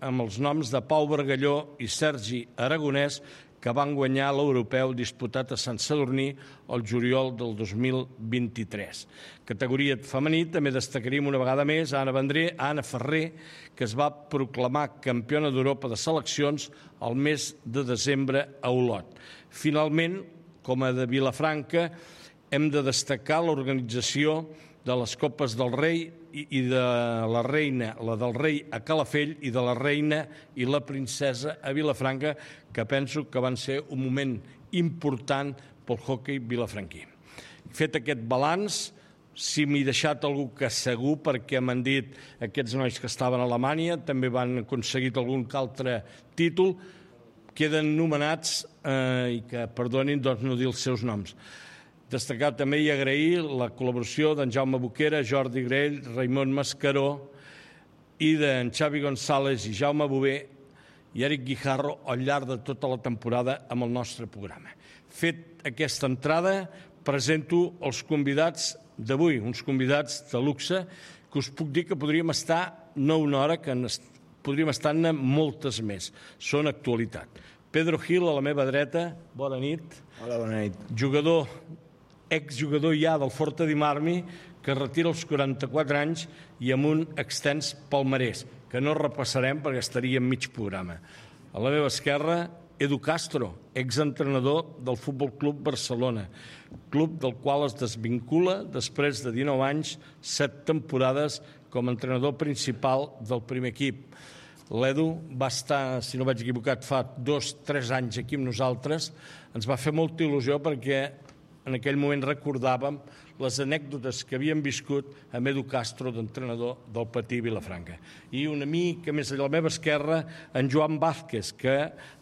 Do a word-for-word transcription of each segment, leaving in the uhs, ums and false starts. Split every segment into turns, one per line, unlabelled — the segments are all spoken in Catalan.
amb els noms de Pau Bargalló i Sergi Aragonès, que van guanyar l'europeu disputat a Sant Sadurní el juliol del dos mil vint-i-tres. Categoria femení també destacaríem una vegada més a Anna Vendré, a Anna Ferrer, que es va proclamar campiona d'Europa de seleccions el mes de desembre a Olot. Finalment, com a de Vilafranca, hem de destacar l'organització de les Copes del Rei i de la reina, la del rei a Calafell i de la reina i la princesa a Vilafranca, que penso que van ser un moment important pel hoquei vilafranquí. Fet aquest balanç, si m'he deixat algú que segur, perquè m'han dit aquests nois que estaven a Alemanya, també van aconseguir algun altre títol, queden nomenats eh, i que perdonin doncs, no dir els seus noms. Destacar també i agrair la col·laboració d'en Jaume Boquera, Jordi Grell, Raimon Mascaró i d'en Xavi González i Jaume Bové i Eric Guijarro al llarg de tota la temporada amb el nostre programa. Fet aquesta entrada, presento els convidats d'avui, uns convidats de luxe, que us puc dir que podríem estar no una hora, que podríem estar-ne moltes més. Són actualitat. Pedro Gil, a la meva dreta, bona nit.
Hola, bona nit.
Jugador exjugador ja del Forte di Marmi, que retira als quaranta-quatre anys i amb un extens palmarès, que no repassarem perquè estaria en mig programa. A la meva esquerra, Edu Castro, exentrenador del Futbol Club Barcelona, club del qual es desvincula després de dinou anys, set temporades com a entrenador principal del primer equip. L'Edu va estar, si no vaig equivocat, fa dos, tres anys aquí amb nosaltres. Ens va fer molta il·lusió perquè en aquell moment recordàvem les anècdotes que havíem viscut amb Edu Castro, d'entrenador del Patí Vilafranca. I una mica més a la meva esquerra, en Joan Vázquez, que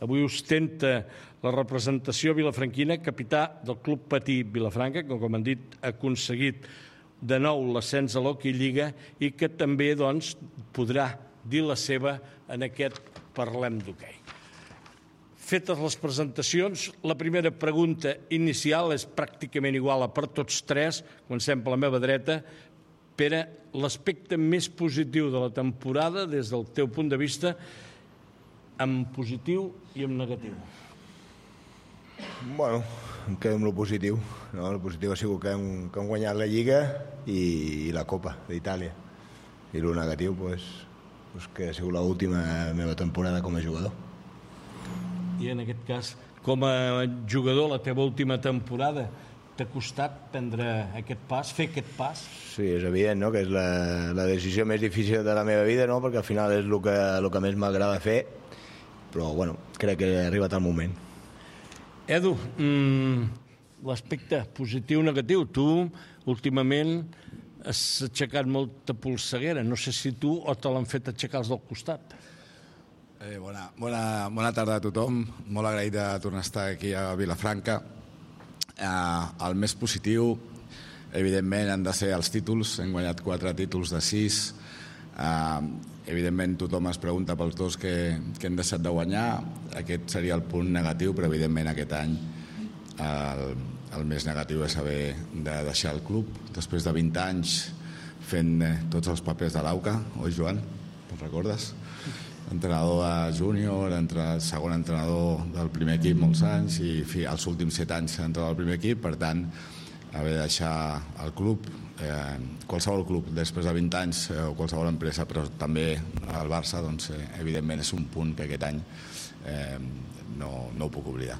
avui ostenta la representació vilafranquina, capità del Club Patí Vilafranca, que, com han dit, ha aconseguit de nou l'ascens a l'Hockey Lliga i que també doncs, podrà dir la seva en aquest Parlem d'Hoquei. Fetes les presentacions, la primera pregunta inicial és pràcticament igual per tots tres. Comencem per la meva dreta. Pere, l'aspecte més positiu de la temporada, des del teu punt de vista, en positiu i en negatiu.
Bueno, em quedo amb el positiu. No? El positiu ha sigut que hem, que hem guanyat la Lliga i, i la Copa d'Itàlia. I el negatiu, pues, pues que ha sigut l'última meva temporada com a jugador.
I en aquest cas, com a jugador, la teva última temporada, t'ha costat prendre aquest pas, fer aquest pas?
Sí, és evident, no?, que és la, la decisió més difícil de la meva vida, no?, perquè al final és el que, el que més m'agrada fer, però, bueno, crec que ha arribat el moment.
Edu, mmm, l'aspecte positiu o negatiu, tu últimament has aixecat molta polseguera, no sé si tu o te l'han fet aixecar els del costat.
Eh, bona, bona, bona tarda a tothom, molt agraït de tornar a estar aquí a Vilafranca. Eh, el més positiu, evidentment, han de ser els títols. Hem guanyat quatre títols de sis. Eh, evidentment, tothom es pregunta pels dos que, que hem deixat de guanyar. Aquest seria el punt negatiu, però evidentment aquest any el, el més negatiu és haver de deixar el club després de vint anys fent tots els papers de l'Auca, oi, Joan? Te'n recordes? Entrenador de júnior, entre, segon entrenador del primer equip molts anys i fi, els últims set anys entrenador del primer equip, per tant haver de deixar el club, eh, qualsevol club després de vint anys eh, o qualsevol empresa, però també el Barça, doncs, eh, evidentment és un punt que aquest any eh, no, no ho puc oblidar.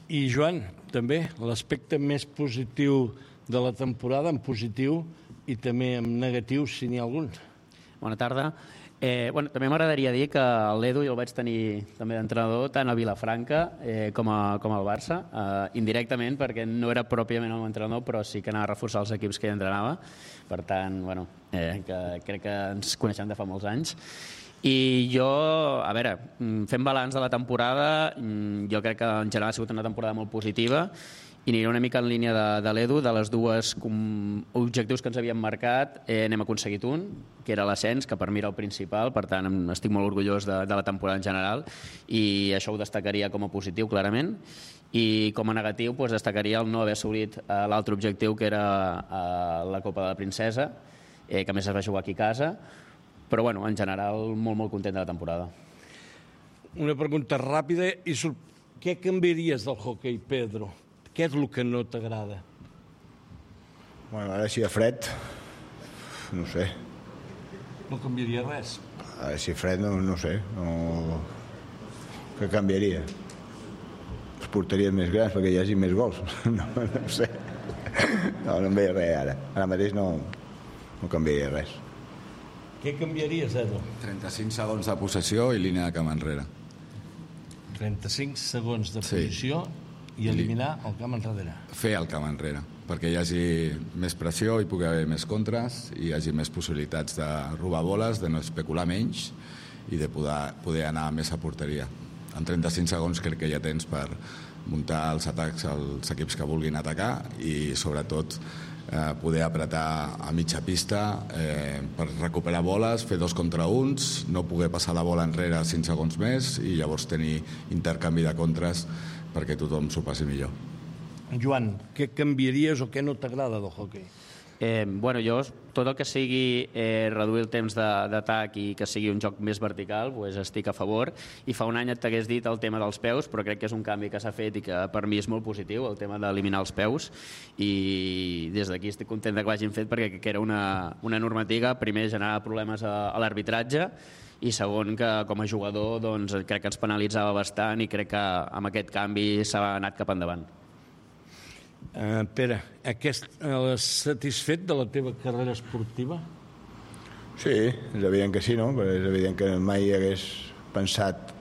I Joan, també l'aspecte més positiu de la temporada, en positiu i també en negatiu, si n'hi ha algun.
Bona tarda. Eh, bueno, també m'agradaria dir que l'Edu jo el vaig tenir també d'entrenador tant a Vilafranca eh, com, a, com al Barça, eh, indirectament perquè no era pròpiament el meu entrenador, però sí que anava a reforçar els equips que ell entrenava. Per tant, bueno, eh, que crec que ens coneixem de fa molts anys. I jo, a veure, fent balanç de la temporada, jo crec que en general ha sigut una temporada molt positiva i aniré una mica en línia de, de l'Edu, de les dues com, objectius que ens havíem marcat, eh, n'hem aconseguit un, que era l'ascens, que per mi era el principal, per tant estic molt orgullós de, de la temporada en general i això ho destacaria com a positiu, clarament. I com a negatiu doncs, destacaria el no haver assolit eh, l'altre objectiu, que era eh, la Copa de la Princesa, eh, que a més es va jugar aquí a casa, però bueno, en general molt, molt content de la temporada.
Una pregunta ràpida i sor... què canviaries del hoquei, Pedro? Què és el que no t'agrada?
Bueno, ara si hi ha fred, no sé.
No canviaria res?
Ara si hi ha fred, no, no sé. No... Què canviaria? Les porteries més grans perquè hi hagi més gols. No, no sé. No, no em veia res ara. Ara mateix no, no canviaria res.
Què canviaries, Edu?
trenta-cinc segons de possessió i línia de camp enrere.
trenta-cinc segons de
Sí.
posició i eliminar el camp enrere.
Fer el camp enrere, perquè hi hagi més pressió, hi pugui haver més contres, hi hagi més possibilitats de robar boles, de no especular menys i de poder, poder anar més a porteria. En trenta-cinc segons crec que ja tens per muntar els atacs als equips que vulguin atacar i sobretot eh, poder apretar a mitja pista eh, per recuperar boles, fer dos contra uns, no poder passar la bola enrere cinc segons més i llavors tenir intercanvi de contres perquè tothom s'ho passi millor.
Joan, què canviaries o què no t'agrada del hoquei?
Eh, bueno, jo tot el que sigui eh, reduir el temps d'atac i que sigui un joc més vertical, pues estic a favor, i fa un any et t'hagués dit el tema dels peus, però crec que és un canvi que s'ha fet i que per mi és molt positiu, el tema d'eliminar els peus, i des d'aquí estic content que ho hagin fet perquè que era una, una normativa, primer generava problemes a, a l'arbitratge i segon que com a jugador doncs, crec que ens penalitzava bastant i crec que amb aquest canvi s'ha anat cap endavant.
Uh, Pere, aquest, uh, satisfet de la teva carrera esportiva?
Sí, és evident que sí, no? Però és evident que mai hagués pensat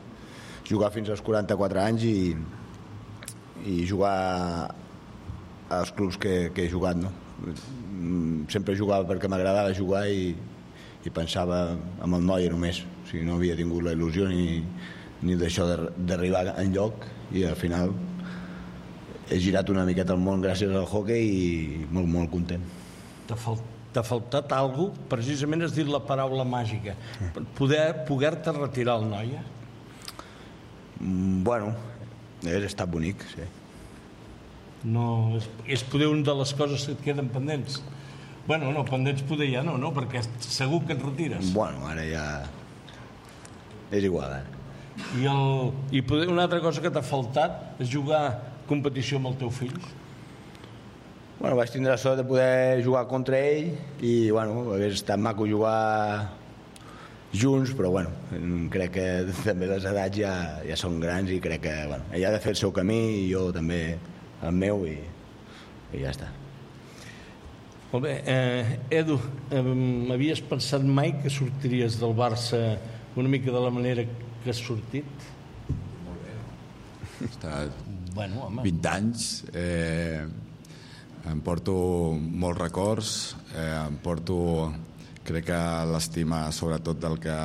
jugar fins als quaranta-quatre anys i, i jugar als clubs que, que he jugat, no? Sempre jugava perquè m'agradava jugar i, i pensava en el Noia només. O sigui, no havia tingut la il·lusió ni, ni d'això d'arribar enlloc i al final he girat una miqueta al món gràcies al hoquei i molt, molt content.
T'ha fal t'ha faltat alguna cosa? Precisament has dit la paraula màgica. Poder poder-te retirar al Noia?
Mm, bueno, hauria estat bonic, sí.
No, és, és poder una de les coses que et queden pendents. Bueno, no, pendents poder ja no, no? Perquè segur que et retires.
Bueno, ara ja... és igual, ara.
I, el, i poder, una altra cosa que t'ha faltat és jugar competició amb el teu fill?
Bueno, vaig tindre la sort de poder jugar contra ell i, bueno, hagués estat maco jugar junts, però, bueno, crec que també les edats ja, ja són grans i crec que, bueno, ell ha de fer el seu camí i jo també el meu i, i ja està.
Molt bé. Eh, Edu, eh, havies pensat mai que sortiries del Barça una mica de la manera que has sortit?
He estat
bueno, home.
vint anys, eh, em porto molts records, eh, em porto, crec que l'estima sobretot del que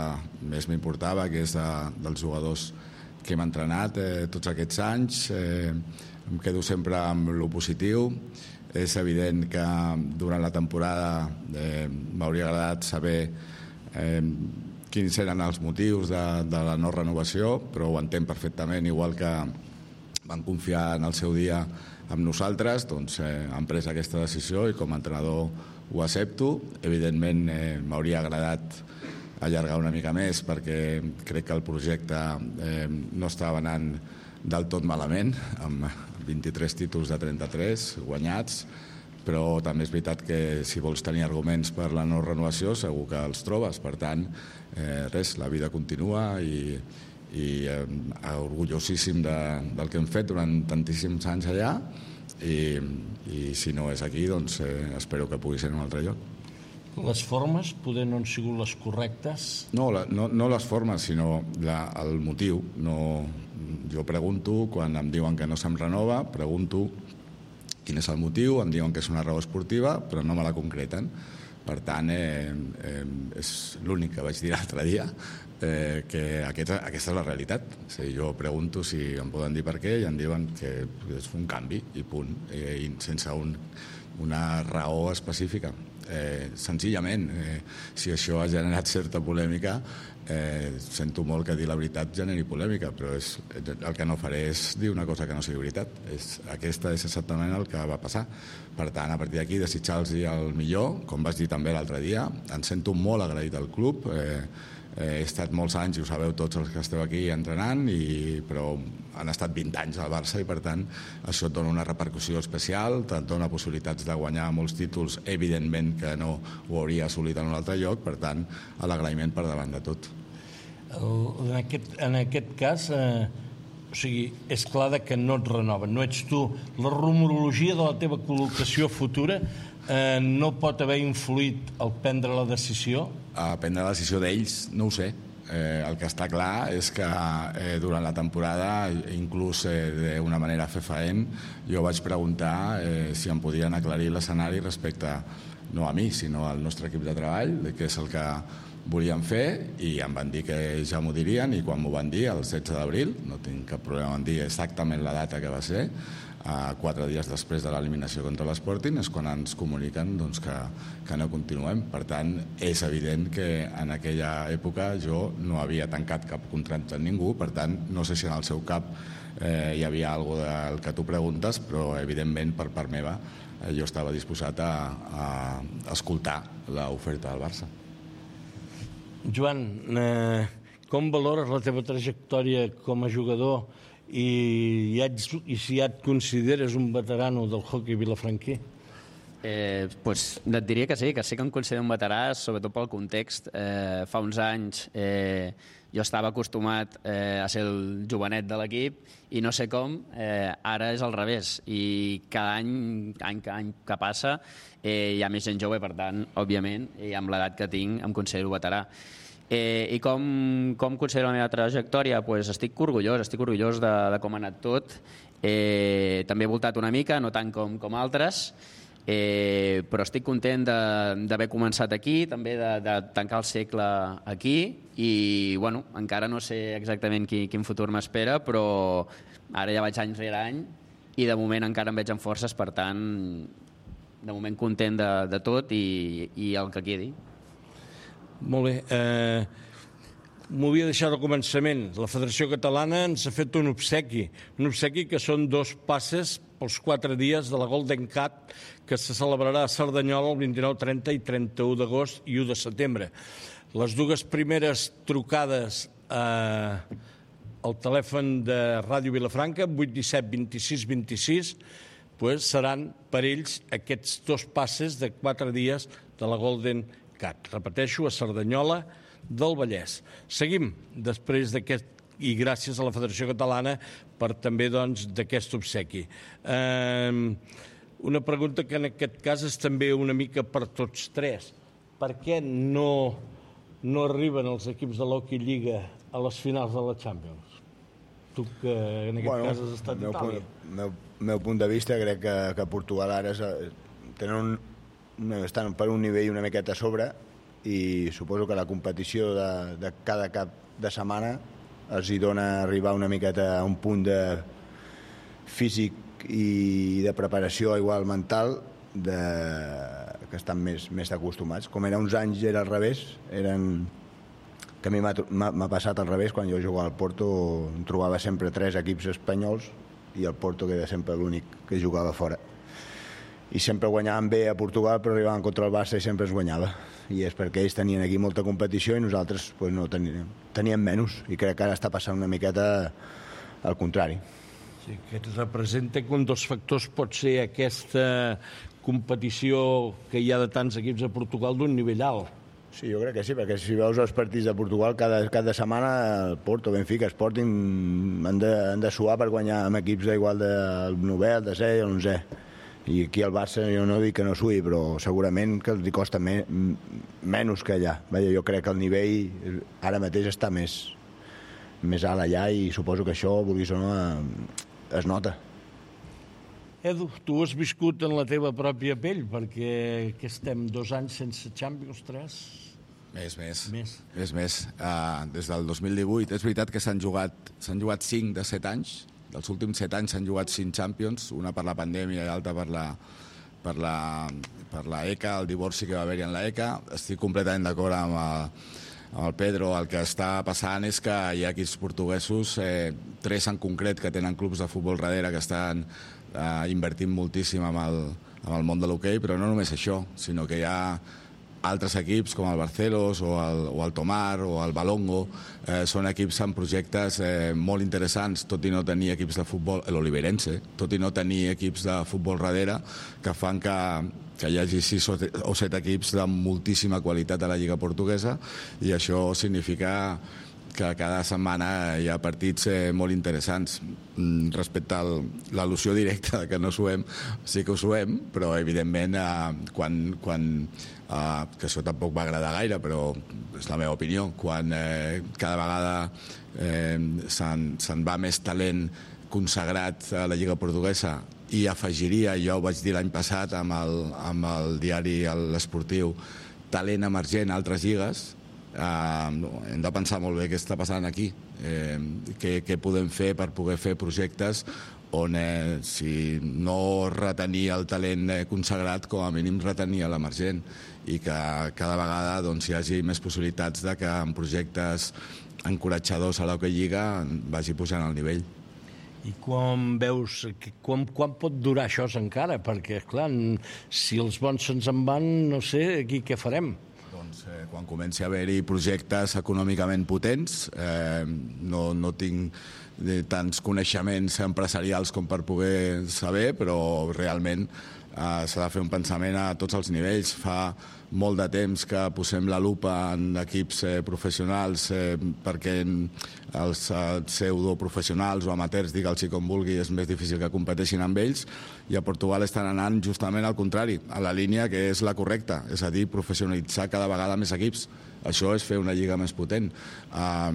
més m'importava, que és de, dels jugadors que hem entrenat eh, tots aquests anys. Eh, em quedo sempre amb lo positiu. És evident que durant la temporada eh, m'hauria agradat saber eh, quins eren els motius de, de la no renovació, però ho entenc perfectament, igual que van confiar en el seu dia amb nosaltres, doncs eh, han pres aquesta decisió i com a entrenador ho accepto. Evidentment eh, m'hauria agradat allargar una mica més perquè crec que el projecte eh, no estava anant del tot malament, amb vint-i-tres títols de trenta-tres guanyats, però també és veritat que si vols tenir arguments per la no renovació segur que els trobes. Per tant, eh, res, la vida continua i i eh, orgullosíssim de, del que hem fet durant tantíssims anys allà i, i si no és aquí doncs eh, espero que pugui ser en un altre lloc.
Les formes poder no han sigut les correctes?
No, la, no, no les formes, sinó la, el motiu. No, jo pregunto, quan em diuen que no se'm renova, pregunto quin és el motiu, em diuen que és una raó esportiva, però no me la concreten. Per tant, eh, eh, és l'únic que vaig dir l'altre dia, eh, que aquesta, aquesta és la realitat. O sigui, jo pregunto si em poden dir per què i em diuen que és un canvi i punt, eh, i sense un, una raó específica. Eh, senzillament, eh, si això ha generat certa polèmica, eh, sento molt que dir la veritat generi polèmica, però és, el que no faré és dir una cosa que no sigui veritat. És, aquesta és exactament el que va passar. Per tant, a partir d'aquí, desitjar-los el millor, com vas dir també l'altre dia. Em sento molt agraït al club. Eh, He estat molts anys, i ho sabeu tots els que esteu aquí entrenant, i, però han estat vint anys al Barça i per tant això et dona una repercussió especial, et dona possibilitats de guanyar molts títols, evidentment que no ho hauria assolit en un altre lloc, per tant l'agraïment per davant de tot.
En aquest, en aquest cas, eh, o sigui, és clar que no et renoven, no ets tu. La rumorologia de la teva col·locació futura eh, no pot haver influït al prendre la decisió?
A prendre la decisió d'ells, no ho sé. Eh, el que està clar és que eh, durant la temporada, inclús eh, d'una manera fefaent, jo vaig preguntar eh, si em podien aclarir l'escenari respecte, no a mi, sinó al nostre equip de treball, de què és el que volien fer, i em van dir que ja m'ho dirien, i quan m'ho van dir, el setze d'abril, no tinc cap problema en dir exactament la data que va ser, Uh, quatre dies després de l'eliminació contra l'Sporting, és quan ens comuniquen doncs, que, que no continuem. Per tant, és evident que en aquella època jo no havia tancat cap contracte amb ningú, per tant, no sé si en el seu cap eh, hi havia alguna cosa del que tu preguntes, però evidentment per part meva eh, jo estava disposat a, a escoltar l'oferta del Barça.
Joan, eh, com valores la teva trajectòria com a jugador i, ja ets, i si ja et consideres un veterano del hoquei vilafranquí?
Eh, pues, et diria que sí, que sí que em considero un veterà, sobretot pel context. Eh, fa uns anys eh, jo estava acostumat eh, a ser el jovenet de l'equip i no sé com, eh, ara és al revés. I cada any, any, any que passa eh, hi ha més gent jove, per tant, òbviament, i amb l'edat que tinc em considero veterà. Eh, I com, com considero la meva trajectòria? Pues estic orgullós, estic orgullós de, de com ha anat tot. Eh, també he voltat una mica, no tant com, com altres, eh, però estic content d'haver començat aquí, també de, de tancar el segle aquí, i bueno, encara no sé exactament qui, quin futur m'espera, però ara ja vaig any rere any i de moment encara em veig amb forces, per tant, de moment content de, de tot i, i el que quedi.
Molt bé. Eh, M'ho havia deixat al començament. La Federació Catalana ens ha fet un obsequi. Un obsequi que són dos passes pels quatre dies de la Golden Cat que se celebrarà a Cerdanyola el vint-i-nou, trenta i trenta-u d'agost i u de setembre. Les dues primeres trucades eh, al telèfon de Ràdio Vilafranca, vuit disset vint-i-sis vint-i-sis, pues, seran per ells aquests dos passes de quatre dies de la Golden Cat. Repeteixo, a Cerdanyola del Vallès. Seguim després d'aquest, i gràcies a la Federació Catalana per també doncs, d'aquest obsequi. Eh, una pregunta que en aquest cas és també una mica per tots tres. Per què no, no arriben els equips de l'Hockey Lliga a les finals de la Champions? Tu que en aquest bueno, cas has estat a Itàlia.
El meu, meu punt de vista crec que, que Portugal ara és, tenen un, estan per un nivell una miqueta a sobre i suposo que la competició de, de cada cap de setmana els hi dona arribar una miqueta a un punt de físic i de preparació igual mental de, que estan més, més acostumats. Com era uns anys era al revés, eren, que a mi m'ha passat al revés, quan jo jugava al Porto em trobava sempre tres equips espanyols i el Porto que era sempre l'únic que jugava fora. I sempre guanyaven bé a Portugal, però arribaven contra el Barça i sempre es guanyava. I és perquè ells tenien aquí molta competició i nosaltres pues, no teníem, teníem menys. I crec que ara està passant una miqueta al contrari.
Sí, que representa que un dels factors pot ser aquesta competició que hi ha de tants equips a Portugal d'un nivell alt.
Sí, jo crec que sí, perquè si veus els partits de Portugal cada, cada setmana el Porto, Benfica, Sporting han de, han de suar per guanyar amb equips d'igual del novè, el desè i l'onzè. I aquí al Barça jo no dic que no sui, però segurament que els costa me, menys que allà. Vaja, jo crec que el nivell ara mateix està més, més alt allà i suposo que això, vulguis o no, es nota.
Edu, tu has viscut en la teva pròpia pell, perquè que estem dos anys sense Champions, tres?
Més, més.
Més.
Més, més. Uh, des del dos mil divuit. És veritat que s'han jugat, s'han jugat cinc de set anys. Dels últims set anys s'han jugat cinc Champions, una per la pandèmia i l'altra per la, per la, per la E C A, el divorci que va haver-hi en la E C A. Estic completament d'acord amb, amb el Pedro, el que està passant és que hi ha equips portuguesos, eh, tres en concret, que tenen clubs de futbol darrere, que estan eh, invertint moltíssim amb el, amb el món de l'hoquei, però no només això, sinó que hi ha altres equips com el Barcelos o el, o el Tomar o el Balongo, eh, són equips amb projectes eh, molt interessants, tot i no tenir equips de futbol, l'Oliveirense, tot i no tenir equips de futbol darrere, que fan que, que hi hagi sis o set equips de moltíssima qualitat a la Lliga Portuguesa, i això significa que cada setmana hi ha partits eh, molt interessants. Respecte a l'al·lusió directa que no suem, sí que ho suem, però evidentment eh, quan, quan eh, que això tampoc va agradar gaire, però és la meva opinió, quan eh, cada vegada eh, se'n se va més talent consagrat a la Lliga Portuguesa, i afegiria, jo ho vaig dir l'any passat amb el, amb el diari l'Esportiu, talent emergent a altres lligues. Uh, hem de pensar molt bé què està passant aquí, eh, què, què podem fer per poder fer projectes on eh, si no retenir el talent eh, consagrat, com a mínim retenir l'emergent, i que cada vegada doncs, hi hagi més possibilitats de que en projectes encoratjadors a l'Hockey Lliga vagi pujant el nivell.
I quan veus, quan, quan pot durar això encara? Perquè, esclar, si els bons se'ns en van, no sé, aquí què farem?
Doncs eh, quan comenci a haver-hi projectes econòmicament potents, eh, no, no tinc eh, tants coneixements empresarials com per poder saber, però realment eh, s'ha de fer un pensament a tots els nivells. Fa molt de temps que posem la lupa en equips eh, professionals eh, perquè els eh, pseudoprofessionals o amateurs, digue'ls com vulgui, és més difícil que competeixin amb ells, i a Portugal estan anant justament al contrari, a la línia que és la correcta, és a dir, professionalitzar cada vegada més equips. Això és fer una lliga més potent, eh,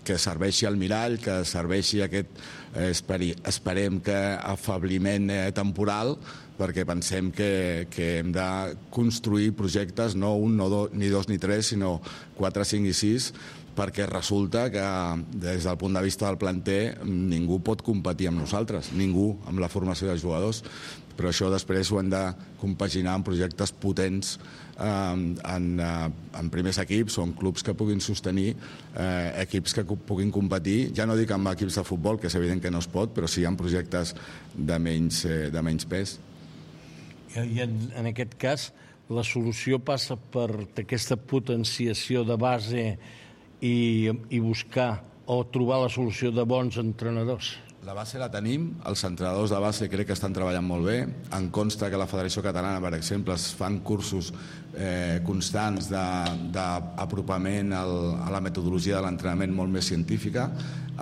que serveixi al mirall, que serveixi aquest, eh, esperi, esperem que afabliment eh, temporal, perquè pensem que, que hem de construir projectes, no un, no do, ni dos ni tres, sinó quatre, cinc i sis, perquè resulta que des del punt de vista del planter ningú pot competir amb nosaltres, ningú, amb la formació de jugadors, però això després ho hem de compaginar amb projectes potents eh, en, eh, en primers equips o en clubs que puguin sostenir eh, equips que puguin competir, ja no dic amb equips de futbol, que és evident que no es pot, però sí en projectes de menys, eh, de menys pes.
I en, en aquest cas, la solució passa per aquesta potenciació de base i, i buscar o trobar la solució de bons entrenadors.
La base la tenim, els entrenadors de base crec que estan treballant molt bé. Em consta que la Federació Catalana, per exemple, es fan cursos eh, constants d'apropament a la metodologia de l'entrenament molt més científica.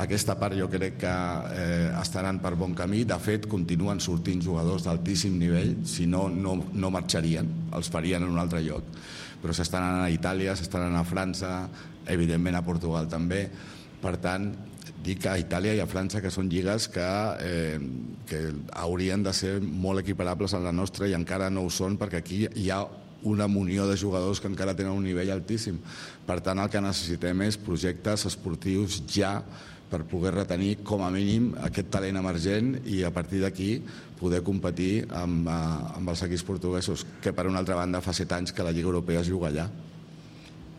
Aquesta part jo crec que eh, estaran per bon camí. De fet, continuen sortint jugadors d'altíssim nivell, si no, no, no marxarien, els farien en un altre lloc. Però s'estan anant a Itàlia, s'estan anant a França, evidentment a Portugal també. Per tant, dic a Itàlia i a França, que són lligues que, eh, que haurien de ser molt equiparables a la nostra i encara no ho són, perquè aquí hi ha una munió de jugadors que encara tenen un nivell altíssim. Per tant, el que necessitem és projectes esportius ja per poder retenir com a mínim aquest talent emergent i a partir d'aquí poder competir amb, amb els equips portuguesos, que per una altra banda fa set anys que la Lliga Europea es juga allà.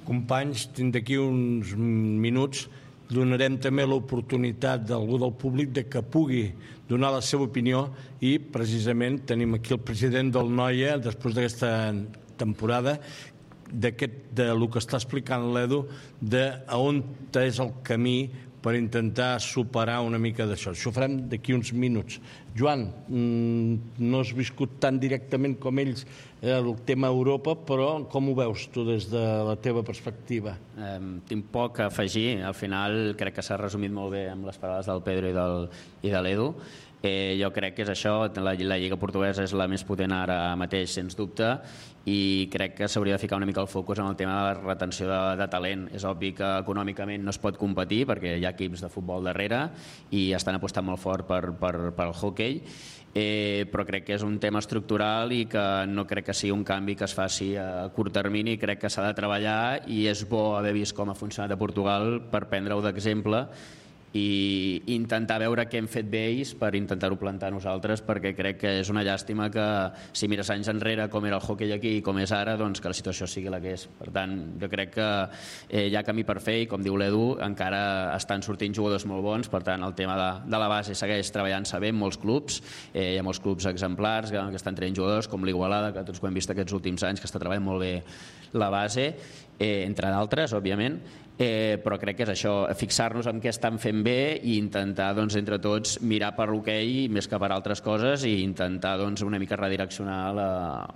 Companys, d'aquí uns minuts donarem també l'oportunitat d'algú del públic de que pugui donar la seva opinió i precisament tenim aquí el president del Noia després d'aquesta temporada d'aquest, de lo que està explicant l'Edu, de on és el camí per intentar superar una mica d'això. Això ho farem d'aquí uns minuts. Joan, no has viscut tan directament com ells el tema Europa, però com ho veus tu des de la teva perspectiva?
Eh, tinc poc a afegir. Al final crec que s'ha resumit molt bé amb les paraules del Pedro i, del, i de l'Edu. Eh, jo crec que és això, la, la Lliga Portuguesa és la més potent ara mateix, sens dubte, i crec que s'hauria de ficar una mica el focus en el tema de la retenció de, de talent. És obvi que econòmicament no es pot competir perquè hi ha equips de futbol darrere i estan apostant molt fort per, per, per el hoquei, eh, però crec que és un tema estructural i que no crec que sigui un canvi que es faci a curt termini. Crec que s'ha de treballar i és bo haver vist com ha funcionat a Portugal per prendre-ho d'exemple i intentar veure què hem fet bé ells per intentar-ho plantar nosaltres, perquè crec que és una llàstima que si mires anys enrere com era el hoquei aquí i com és ara, doncs que la situació sigui la que és. Per tant, jo crec que eh, hi ha camí per fer i, com diu l'Edu, encara estan sortint jugadors molt bons. Per tant, el tema de, de la base segueix treballant-se bé en molts clubs. Eh, hi ha molts clubs exemplars que, que estan traient jugadors, com l'Igualada, que tots ho hem vist aquests últims anys, que està treballant molt bé la base, eh, entre d'altres, òbviament. Eh, però crec que és això, fixar-nos en què estan fent bé i intentar, doncs, entre tots mirar per l'hoquei més que per altres coses i intentar, doncs, una mica redireccionar la,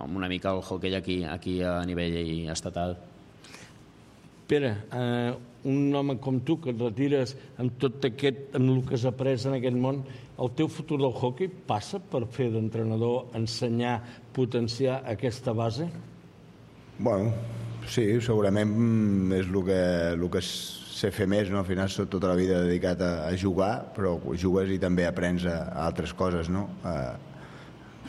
una mica el hoquei aquí, aquí a nivell estatal.
Pere, eh, un home com tu que et retires amb tot aquest, amb el que has après en aquest món, el teu futur del hoquei passa per fer d'entrenador, ensenyar, potenciar aquesta base?
Bueno, sí, segurament és el que, el que sé fer més, no? Al final soc tota la vida dedicat a, a jugar, però jugues i també aprens a, a altres coses, no? A,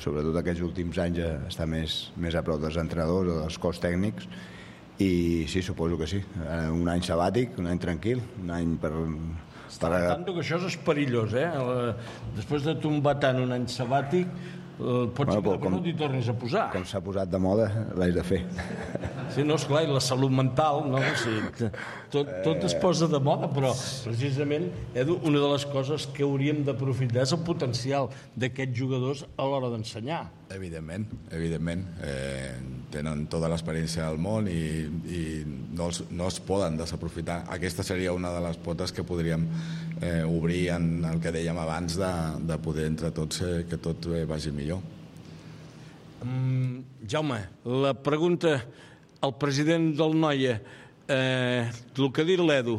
sobretot aquests últims anys a estar més, més a prop dels entrenadors o dels cos tècnics, i sí, suposo que sí. Un any sabàtic, un any tranquil, un any per...
per... Tanto que això és perillós, eh? Després de tombar tant un any sabàtic, pots bueno, dir que com, no t'hi tornis a posar.
Com s'ha posat de moda, l'haig de fer.
Sí, no, esclar, i la salut mental, no? Sí, tot, tot es posa de moda, però precisament, Edu, una de les coses que hauríem d'aprofitar és el potencial d'aquests jugadors a l'hora d'ensenyar.
Evidentment, evidentment. Eh, tenen tota l'experiència del món i, i no, els, no es poden desaprofitar. Aquesta seria una de les potes que podríem eh, obrir en el que dèiem abans de, de poder entre tots eh, que tot eh, vagi millor.
Um, Jaume, la pregunta al president del Noia, eh, el que ha dit l'Edu,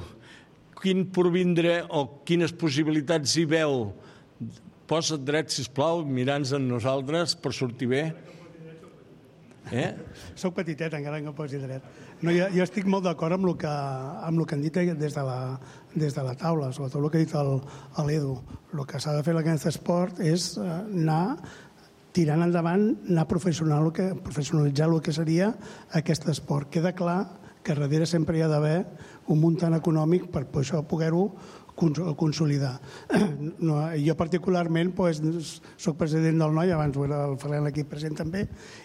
quin porvindre o quines possibilitats hi veu? Posa't dret, sisplau, mirant-nos en nosaltres per sortir bé. Eh?
Soc petitet, encara que em posi dret. No, jo, jo estic molt d'acord amb el que, amb el que han dit des de la, des de la taula, sobretot el que ha dit l'Edu. El que s'ha de fer en aquest esport és anar tirant endavant, anar professional, que, professionalitzar el que seria aquest esport. Queda clar que darrere sempre hi ha d'haver un muntant econòmic per això poder-ho consolidar. No, jo particularment pues, soc president del Noi, abans ho era el Ferran aquí present també,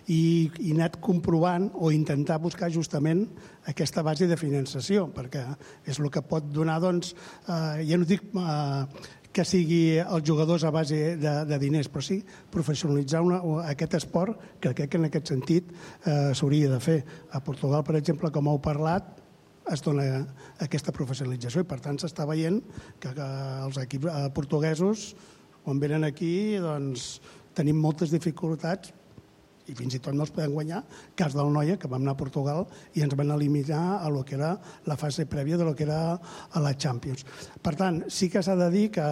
i he anat comprovant o intentar buscar justament aquesta base de finançació, perquè és el que pot donar, doncs, eh, ja no dic eh, que sigui els jugadors a base de, de diners, però sí professionalitzar una, aquest esport, que crec que en aquest sentit eh, s'hauria de fer. A Portugal, per exemple, com heu parlat, es dona aquesta professionalització i per tant s'està veient que, que els equips portuguesos quan venen aquí doncs tenim moltes dificultats i fins i tot no els podem guanyar. Cas del Noia, que vam anar a Portugal i ens van eliminar a lo que era la fase prèvia de lo que era a la Champions. Per tant, sí que s'ha de dir que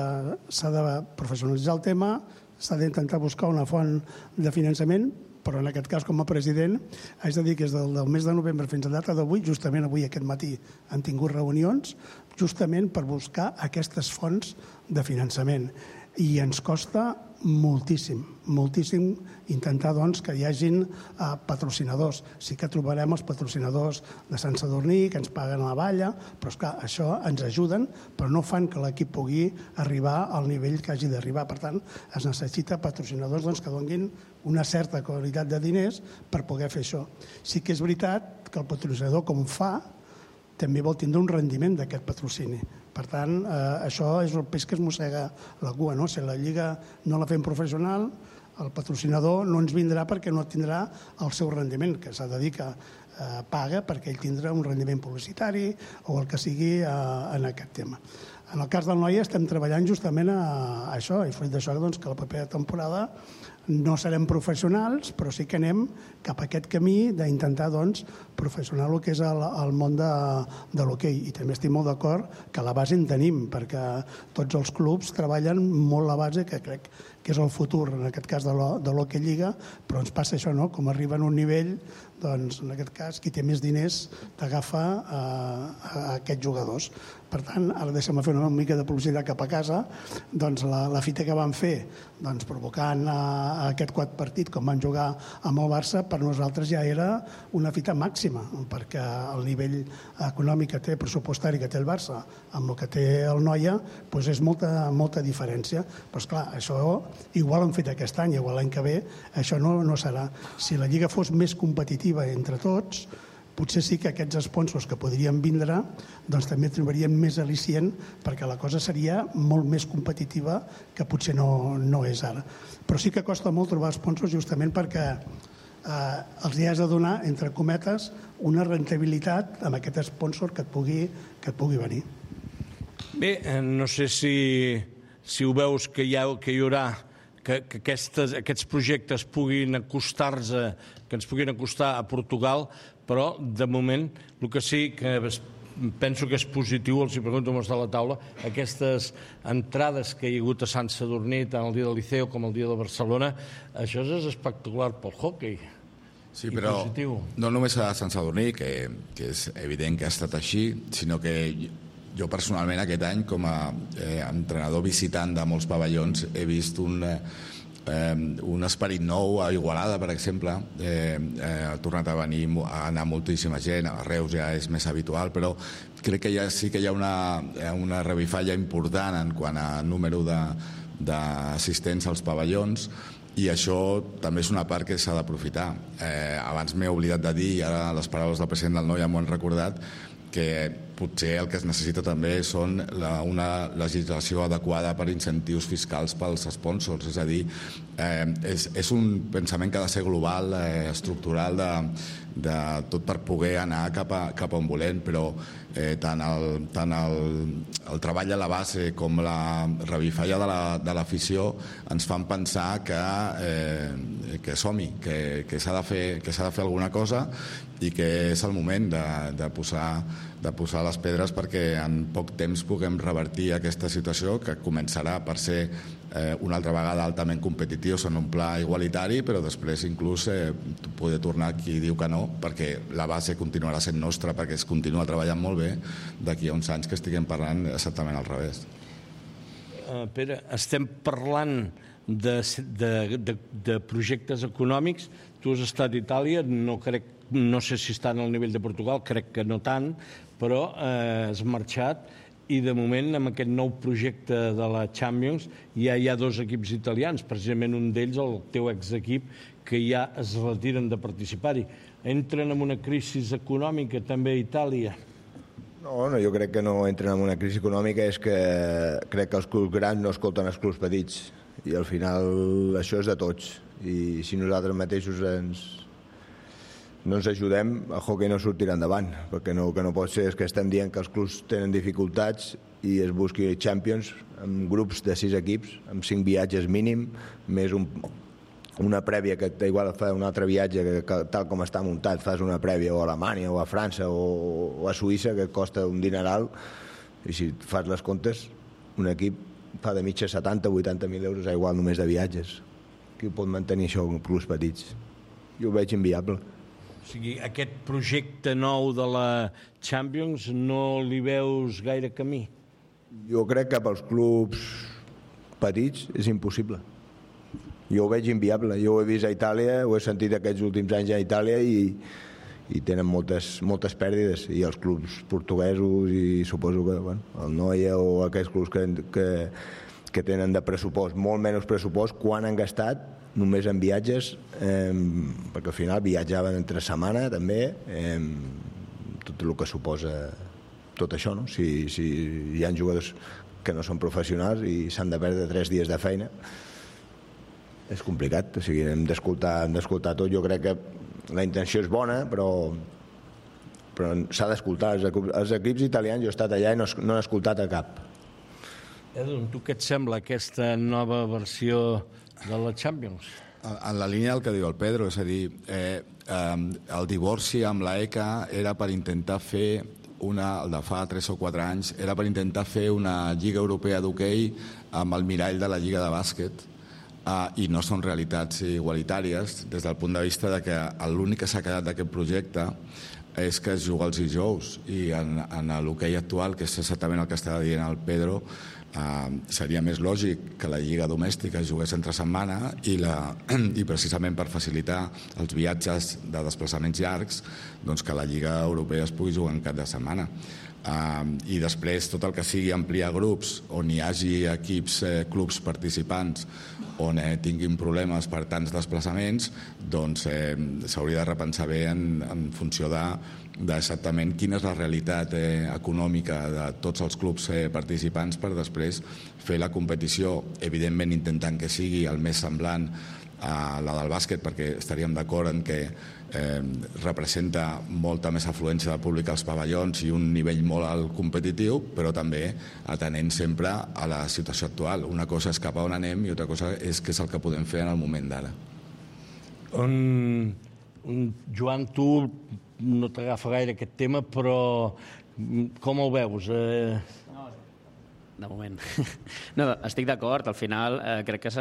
s'ha de professionalitzar el tema, s'ha d'intentar buscar una font de finançament, però en aquest cas, com a president, haig de dir que des del, del mes de novembre fins a data d'avui, justament avui aquest matí han tingut reunions, justament per buscar aquestes fonts de finançament. I ens costa moltíssim, moltíssim intentar doncs, que hi hagin eh, patrocinadors. Sí que trobarem els patrocinadors de Sant Sadurní, que ens paguen a la valla, però esclar, això ens ajuden, però no fan que l'equip pugui arribar al nivell que hagi d'arribar. Per tant, es necessita patrocinadors doncs, que donin una certa qualitat de diners per poder fer això. Sí que és veritat que el patrocinador, com fa, també vol tindre un rendiment d'aquest patrocini. Per tant, eh, això és el peix que es mossega la cua, no? Si la Lliga no la fem professional, el patrocinador no ens vindrà perquè no tindrà el seu rendiment, que s'ha de dir que eh, paga perquè ell tindrà un rendiment publicitari o el que sigui eh, en aquest tema. En el cas del Noia estem treballant justament a, a això, i fruit d'això doncs, que la propera temporada no serem professionals, però sí que anem cap a aquest camí d'intentar doncs, professionar el que és el, el món de, de l'hoquei. I també estic molt d'acord que la base en tenim, perquè tots els clubs treballen molt la base, que crec que és el futur, en aquest cas de l'Hoquei Lliga, però ens passa això, no? Com arriba a un nivell, doncs, en aquest cas, qui té més diners t'agafa a, a aquests jugadors. Per tant, ara deixem fer una mica de publicitat cap a casa, doncs la, la fita que van fer, doncs provocant a, a aquest quart partit, com van jugar amb el Barça, per nosaltres ja era una fita màxima, perquè el nivell econòmic que té, pressupostari que té el Barça, amb el que té el Noia, doncs és molta, molta diferència. Però esclar, això igual han fet aquest any, igual l'any que ve, això no, no serà. Si la Lliga fos més competitiva entre tots, potser sí que aquests sponsors que podrien vindre doncs també trobarien més al·licient, perquè la cosa seria molt més competitiva que potser no, no és ara. Però sí que costa molt trobar sponsors justament perquè eh, els hi has de donar, entre cometes, una rentabilitat amb aquest sponsor que et pugui, que et pugui venir.
Bé, no sé si, si ho veus que hi, ha, que hi haurà que, que aquestes, aquests projectes puguin acostar-se, que ens puguin acostar a Portugal, però de moment el que sí que penso que és positiu, els hi pregunto com està la taula, aquestes entrades que hi ha hagut a Sant Sadurní, tant el dia del Liceu com el dia de Barcelona, això és espectacular pel hockey.
Sí, però no només a Sant Sadurní, que, que és evident que ha estat així, sinó que jo personalment aquest any, com a eh, entrenador visitant de molts pavellons, he vist un... Eh, Eh, un esperit nou a Igualada, per exemple. Eh, eh, ha tornat a venir a anar moltíssima gent, a Reus ja és més habitual, però crec que ja sí que hi ha una, una revifalla important en quant a número d'assistents als pavellons, i això també és una part que s'ha d'aprofitar. Eh, abans m'he oblidat de dir, i ara les paraules del president del Noia m'ho han recordat, que potser el que es necessita també són la, una legislació adequada per incentius fiscals pels sponsors. És a dir, eh, és, és un pensament que ha de ser global, eh, estructural, de, de tot per poder anar cap a, cap a on volem, però eh, tant, el, tant el, el treball a la base com la revifalla de l'afició la, ens fan pensar que, eh, que som-hi, que, que s'ha de fer, que s'ha de fer alguna cosa, i que és el moment de, de, posar, de posar les pedres perquè en poc temps puguem revertir aquesta situació, que començarà per ser eh, una altra vegada altament competitius en un pla igualitari, però després inclús eh, poder tornar qui diu que no, perquè la base continuarà sent nostra, perquè es continua treballant molt bé, d'aquí a uns anys que estiguem parlant exactament al revés.
Uh, Pere, estem parlant de, de, de, de projectes econòmics. Tu has estat a Itàlia, no crec no sé si estan al nivell de Portugal, crec que no tant, però eh, has marxat i de moment amb aquest nou projecte de la Champions ja hi ha dos equips italians, precisament un d'ells, el teu exequip, que ja es retiren de participar-hi. Entren en una crisi econòmica també a Itàlia?
No, no, jo crec que no entren en una crisi econòmica, és que crec que els clubs grans no escolten els clubs petits, i al final això és de tots, i si nosaltres mateixos ens no ens ajudem, el hockey no sortirà endavant, perquè no, que no pot ser és que estem dient que els clubs tenen dificultats i es busqui Champions amb grups de sis equips, amb cinc viatges mínim, més un, una prèvia que igual fa un altre viatge que, que tal com està muntat fas una prèvia o a Alemanya o a França o, o a Suïssa, que costa un dineral, i si fas les comptes un equip fa de mitja setanta o vuitanta mil euros a igual només de viatges. Qui pot mantenir això amb clubs petits? Jo ho veig inviable.
O sigui, aquest projecte nou de la Champions no li veus gaire camí?
Jo crec que pels clubs petits és impossible. Jo ho veig inviable. Jo ho he vist a Itàlia, ho he sentit aquests últims anys a Itàlia i, i tenen moltes, moltes pèrdides. I els clubs portuguesos i suposo que bueno, el Noia o aquests clubs que, que, que tenen de pressupost, molt menys pressupost, quan han gastat només en viatges, eh, perquè al final viatjaven entre setmana també, eh, tot el que suposa tot això, no? Si, si hi ha jugadors que no són professionals i s'han de perdre tres dies de feina, és complicat. O sigui, hem d'escoltar hem d'escoltar tot. Jo crec que la intenció és bona, però, però s'ha d'escoltar. Els, els equips italians, jo he estat allà i no, no he escoltat a cap.
Edu, tu què et sembla aquesta nova versió de la Champions?
En la línia del que diu el Pedro, és a dir, eh, eh, el divorci amb la E C A era per intentar fer una, el de fa tres o quatre anys, era per intentar fer una Lliga Europea d'hoquei amb el mirall de la Lliga de bàsquet, eh, i no són realitats igualitàries des del punt de vista de que l'únic que s'ha quedat d'aquest projecte és que es juga els dijous, i en, en l'hoquei actual, que és exactament el que estava dient el Pedro, eh, seria més lògic que la lliga domèstica es jugués entre setmana i, la, i precisament per facilitar els viatges de desplaçaments llargs, doncs que la lliga europea es pugui jugar en cap de setmana. Uh, i després tot el que sigui ampliar grups on hi hagi equips, eh, clubs participants on eh, tinguin problemes per tants desplaçaments, doncs eh, s'hauria de repensar bé en, en funció de, d'exactament quina és la realitat eh, econòmica de tots els clubs eh, participants, per després fer la competició, evidentment intentant que sigui el més semblant a la del bàsquet, perquè estaríem d'acord en que eh, representa molta més afluència de públic als pavellons i un nivell molt alt competitiu, però també atenent sempre a la situació actual. Una cosa és cap a on anem i altra cosa és què és el que podem fer en el moment d'ara.
Um, Joan, tu no t'agafa gaire aquest tema, però com el veus? Eh...
De moment. No, estic d'acord. Al final, eh, crec que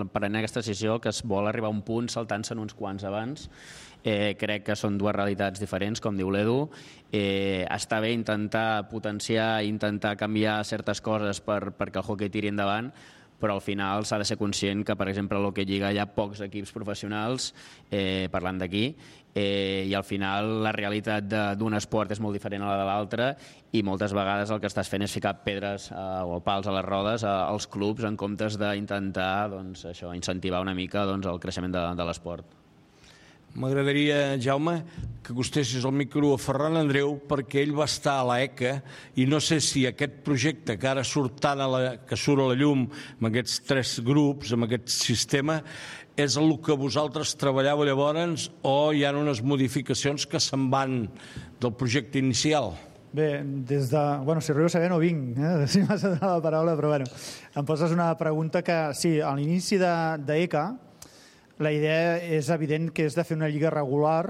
prenent aquesta decisió que es vol arribar a un punt saltant-se'n uns quants abans. Eh, crec que són dues realitats diferents, com diu l'Edu. Eh, està bé intentar potenciar, intentar canviar certes coses per, perquè el hoquei tiri endavant, però al final s'ha de ser conscient que, per exemple, a l'Hockey Lliga hi ha pocs equips professionals, eh, parlant d'aquí, eh, i al final la realitat d'un esport és molt diferent a la de l'altre i moltes vegades el que estàs fent és ficar pedres eh, o pals a les rodes eh, als clubs en comptes d'intentar doncs, això, incentivar una mica doncs, el creixement de, de l'esport.
M'agradaria, Jaume, que acostessis el micro a Ferran Andreu, perquè ell va estar a l'E C A i no sé si aquest projecte que ara surt, tant a la, que surt a la llum amb aquests tres grups, amb aquest sistema, és el que vosaltres treballàveu llavors o hi ha unes modificacions que se'n van del projecte inicial?
Bé, des de... Bueno, si arribo a saber no vinc, eh? Si m'has de donar la paraula, però bueno, em poses una pregunta que, sí, a l'inici d'E C A, la idea és evident que és de fer una lliga regular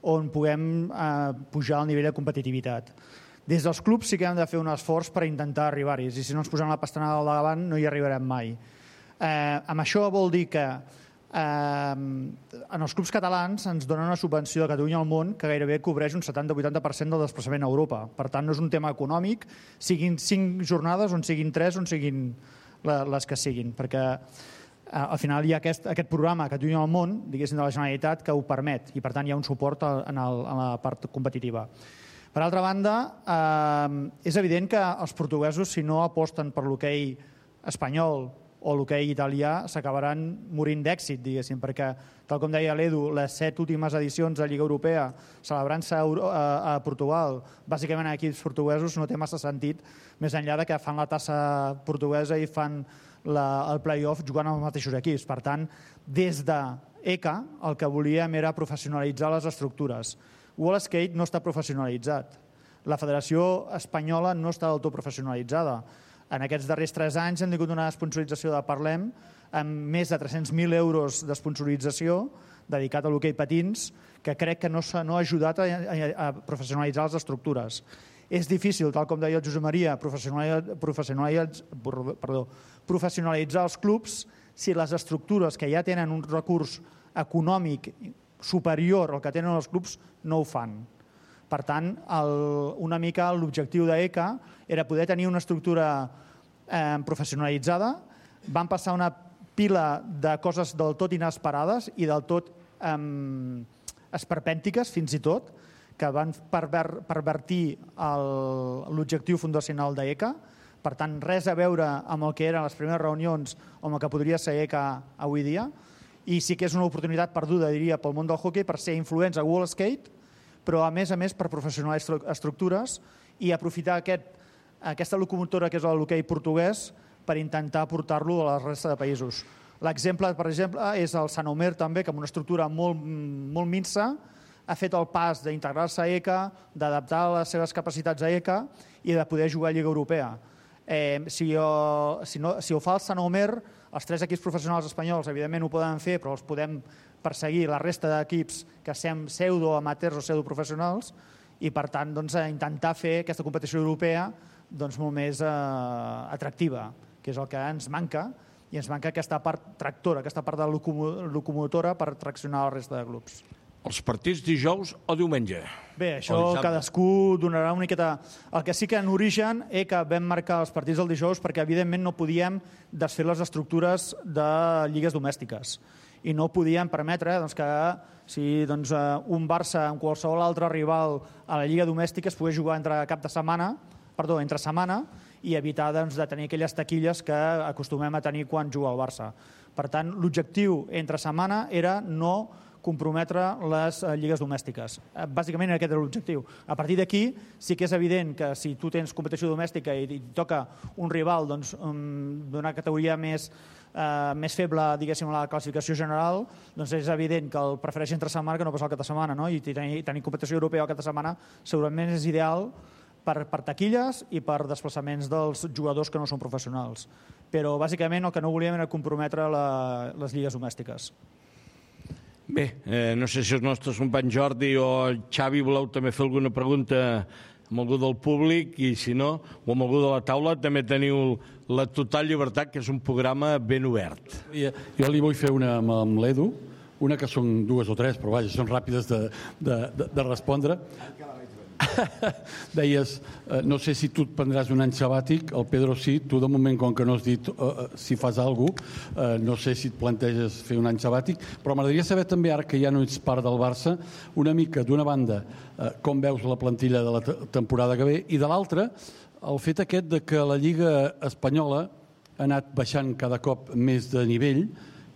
on puguem eh, pujar el nivell de competitivitat. Des dels clubs sí que hem de fer un esforç per intentar arribar-hi, i si no ens posem la pastanaga al davant no hi arribarem mai. Eh, amb això vol dir que eh, en els clubs catalans ens donen una subvenció de Catalunya al món que gairebé cobreix un setanta a vuitanta per cent del desplaçament a Europa. Per tant, no és un tema econòmic, siguin cinc jornades, on siguin tres, on siguin les que siguin, perquè al final hi ha aquest, aquest programa Catalunya al món, diguéssim, de la Generalitat que ho permet i per tant hi ha un suport en, el, en la part competitiva. Per altra banda, eh, és evident que els portuguesos, si no aposten per l'hoquei espanyol o l'hoquei italià, s'acabaran morint d'èxit, diguéssim, perquè, tal com deia l'Edu, les set últimes edicions de Lliga Europea celebrant-se a, a, a Portugal, bàsicament a equips portuguesos, no té massa sentit, més enllà de que fan la tassa portuguesa i fan la, el play-off jugant amb els mateixos equips. Per tant, des d'E C A el que volíem era professionalitzar les estructures. World Skate no està professionalitzat. La Federació Espanyola no està del tot professionalitzada. En aquests darrers tres anys hem tingut una sponsorització de Parlem amb més de tres-cents mil euros de sponsorització dedicat a l'hoquei patins, que crec que no s'ha no ha ajudat a, a, a professionalitzar les estructures. És difícil, tal com deia el Josep Maria, professionalitzar, professionalitzar, perdó, professionalitzar els clubs si les estructures que ja tenen un recurs econòmic superior al que tenen els clubs no ho fan. Per tant, el, una mica l'objectiu d'E C A era poder tenir una estructura eh, professionalitzada. Van passar una pila de coses del tot inesperades i del tot eh, esperpèntiques, fins i tot, que van perver, pervertir l'objectiu fundacional d'E C A. Per tant, res a veure amb el que eren les primeres reunions o amb el que podria ser E C A avui dia. I sí que és una oportunitat perduda, diria, pel món del hoquei per ser influents a World Skate, però a més a més per professionalitzar estructures i aprofitar aquest, aquesta locomotora que és l'hoquei portuguès per intentar portar-lo a la resta de països. L'exemple, per exemple, és el Sant Omer també, que amb una estructura molt, molt minsa ha fet el pas d'integrar-se a E C A, d'adaptar les seves capacitats a E C A i de poder jugar a Lliga Europea. Eh, si, ho, si, no, si ho fa el Sant Omer, els tres equips professionals espanyols evidentment ho poden fer, però els podem perseguir la resta d'equips que som pseudo-amateurs o pseudo-professionals i per tant doncs, intentar fer aquesta competició europea doncs, molt més eh, atractiva, que és el que ens manca, i ens manca aquesta part tractora, aquesta part de locomotora per traccionar la resta de clubs.
els partits dijous o diumenge?
Bé, això cadascú donarà una miqueta... El que sí que en origen és que vam marcar els partits del dijous perquè evidentment no podíem desfer les estructures de lligues domèstiques i no podíem permetre doncs, que si doncs, un Barça amb qualsevol altre rival a la lliga domèstica es pogués jugar entre cap de setmana, perdó, entre setmana, i evitar doncs, de tenir aquelles taquilles que acostumem a tenir quan juga el Barça. Per tant, l'objectiu entre setmana era no comprometre les lligues domèstiques. Bàsicament aquest era l'objectiu. A partir d'aquí sí que és evident que si tu tens competició domèstica i et toca un rival doncs, d'una categoria més, eh, més feble, diguéssim, a la classificació general, doncs és evident que el prefereix entre setmana que no pas el cap de setmana, no? I tenir, tenir competició europea al cap de setmana segurament és ideal per, per taquilles i per desplaçaments dels jugadors que no són professionals. Però bàsicament el que no volíem era comprometre la, les lligues domèstiques.
Bé, eh, no sé si els nostres companys Jordi o Xavi voleu també fer alguna pregunta amb algú del públic i si no, o amb algú de la taula, també teniu la total llibertat, que és un programa ben obert.
Jo li vull fer una amb l'Edu, una que són dues o tres, però vaja, són ràpides de, de, de, de respondre. Deies, eh, no sé si tu et prendràs un any sabàtic, el Pedro sí, tu de moment, com que no has dit eh, si fas alguna cosa, eh, no sé si et planteges fer un any sabàtic, però m'agradaria saber també, ara que ja no ets part del Barça, una mica, d'una banda, eh, com veus la plantilla de la temporada que ve, i de l'altra, el fet aquest de que la Lliga Espanyola ha anat baixant cada cop més de nivell,